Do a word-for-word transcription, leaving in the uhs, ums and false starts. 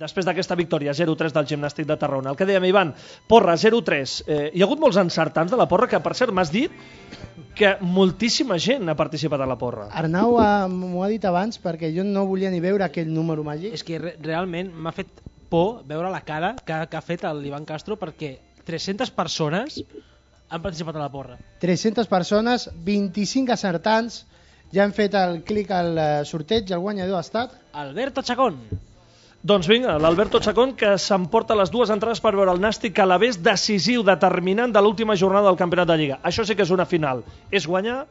després d'aquesta victòria zero tres del Gimnàstic de Tarragona. El que dèiem, Ivan, porra zero tres. Eh, hi ha hagut molts encertants de la porra, que per cert m'has dit que moltíssima gent ha participat a la porra. Arnau m'ho ha dit abans perquè jo no volia ni veure aquell número màgic. És que re realment m'ha fet por veure la cara que, que ha fet l'Ivan Castro, perquè tres-centes persones han participat a la porra. tres-centes persones, vint-i-cinc acertants, ja han fet el clic al sorteig i el guanyador ha estat Alberto Chacón. Doncs vinga, l'Alberto Chacón, que s'emporta les dues entrades per veure el Nàstic Alavés decisiu, determinant de l'última jornada del Campionat de Lliga. Això sí que és una final. És guanyar